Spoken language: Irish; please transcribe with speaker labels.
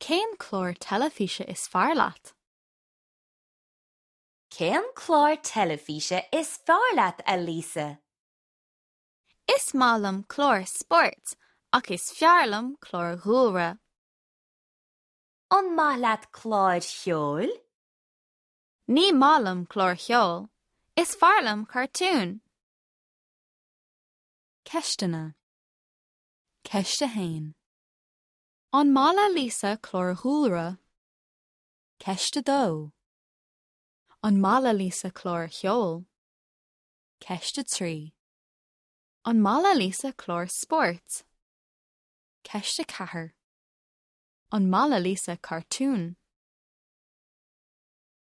Speaker 1: Cén clár teilifíse is fearr leat?
Speaker 2: Cén clár teilifíse is fearr leat, a Lisa?
Speaker 1: Is maith liom cláir spóirt ach is fearr liom cláir dhúlra.
Speaker 2: An maith leat cláir cheoil?
Speaker 1: Ní maith liom cláir cheoil. Is fearr liom cartúin. Ceisteanna. Ceist 1. An maith le Lisa cláir dhúlra? Ceist 2. An maith le Lisa cláir cheoil? Ceist 3. An maith le Lisa cláir spóirt? Ceist 4. An maith le Lisa cartúin?